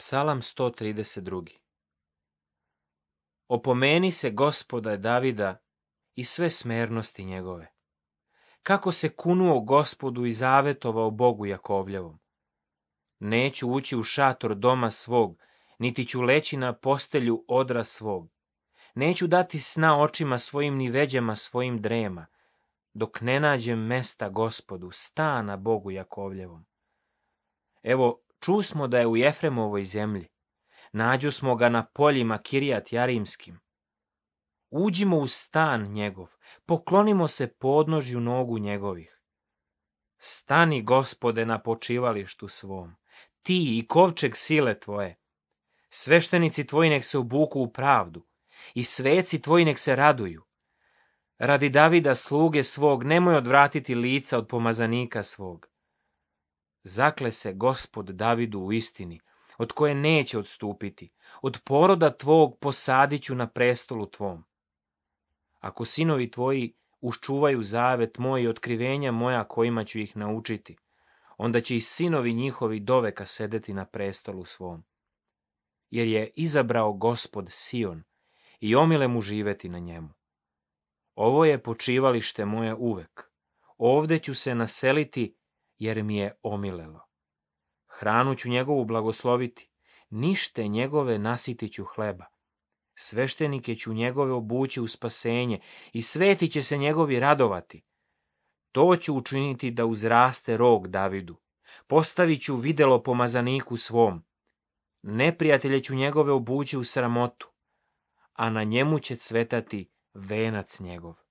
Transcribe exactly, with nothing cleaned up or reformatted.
Psalam sto trideset dva. Opomeni se Gospoda Davida i sve smernosti njegove. Kako se kunuo Gospodu i zavetovao Bogu Jakovljevom. Neću ući u šator doma svog, niti ću leći na postelju odra svog. Neću dati sna očima svojim ni veđama svojim drema, dok ne nađem mesta Gospodu, stana Bogu Jakovljevom. Evo, čusmo da je u Jefremovoj zemlji. Nađu smo ga na poljima Kirijat Jarimskim. Uđimo u stan njegov, poklonimo se podnožju nogu njegovih. Stani, Gospode, na počivalištu svom, ti i kovčeg sile tvoje. Sveštenici tvoji nek se obuku u pravdu i sveci tvoji nek se raduju. Radi Davida sluge svog nemoj odvratiti lica od pomazanika svog. Zakle se Gospod Davidu u istini, od koje neće odstupiti, od poroda tvog posadit ću na prestolu tvom. Ako sinovi tvoji uščuvaju zavet moj i otkrivenja moja kojima ću ih naučiti, onda će i sinovi njihovi doveka sedeti na prestolu svom. Jer je izabrao Gospod Sion i omile mu živeti na njemu. Ovo je počivalište moje uvek, ovde ću se naseliti jer mi je omilelo. Hranu ću njegovu blagosloviti, nište njegove nasitit ću hleba. Sveštenike ću njegove obući u spasenje i sveti će se njegovi radovati. To ću učiniti da uzraste rog Davidu. Postavit ću videlo pomazaniku svom. Neprijatelje ću njegove obući u sramotu, a na njemu će cvetati venac njegov.